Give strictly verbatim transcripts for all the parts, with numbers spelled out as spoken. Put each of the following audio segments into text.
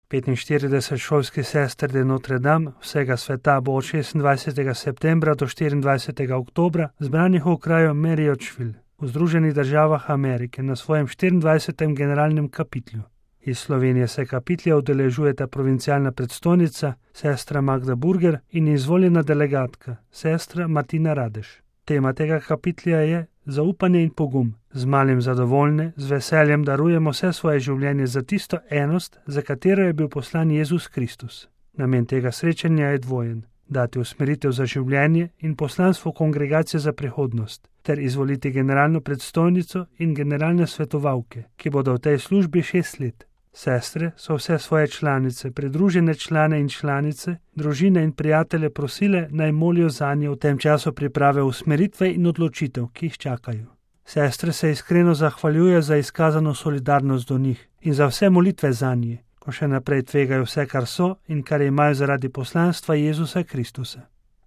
petinštirideset šolskih sester de Notre Dame vsega sveta bo od šestindvajsetega septembra do štiriindvajsetega oktobra zbranih v kraju Marriottsville v Združenih državah Amerike na svojem štiriindvajsetem generalnem kapitlju. Iz Slovenije se kapitlja udeležujeta provincialna predstojnica, sestra Magda Burger in izvoljena delegatka, sestra Martina Radež. Tema tega kapitlja je zaupanje in pogum. Z malim zadovoljne, z veseljem darujemo vse svoje življenje za tisto enost, za katero je bil poslan Jezus Kristus. Namen tega srečanja je dvojen: dati usmeritev za življenje in poslanstvo kongregacije za prihodnost, ter izvoliti generalno predstojnico in generalne svetovalke, ki bodo v tej službi šest let. Sestre so vse svoje članice, pridružene člane in članice, družine in prijatelje prosile, naj molijo zanje v tem času priprave usmeritve in odločitev, ki jih čakajo. Sestre se iskreno zahvaljuje za izkazano solidarnost do njih in za vse molitve zanje, ko še naprej tvegajo vse, kar so in kar imajo zaradi poslanstva Jezusa Kristusa.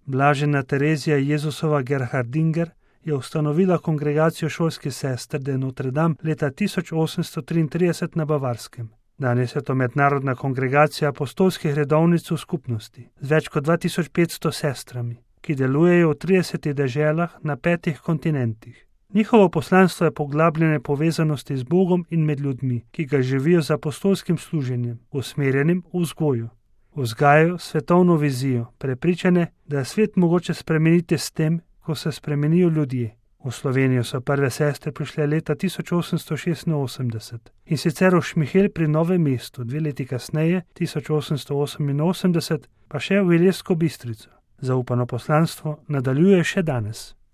Blažena Terezija Jezusova Gerhardinger je ustanovila kongregacijo šolskih sester de Notre Dame leta tisoč osemsto triintrideset na Bavarskem. Danes je to mednarodna kongregacija apostolskih redovnic v skupnosti z več kot dva tisoč petsto sestrami, ki delujejo v tridesetih deželah na petih kontinentih. Njihovo poslanstvo je poglabljanje povezanosti z Bogom in med ljudmi, ki ga živijo z apostolskim služenjem, usmerjenim v vzgoju. Vzgajajo svetovno vizijo, prepričane, da je svet mogoče spremeniti s tem, ko se spremenijo ljudje. V Slovenijo so prve sestre prišle leta tisoč osemsto šestinosemdeset in sicer v Šmihel pri Novem mestu, dve leti kasneje, tisoč osemsto oseminosemdeset, pa še v Ilirsko Bistrico. Zaupano poslanstvo nadaljuje še danes.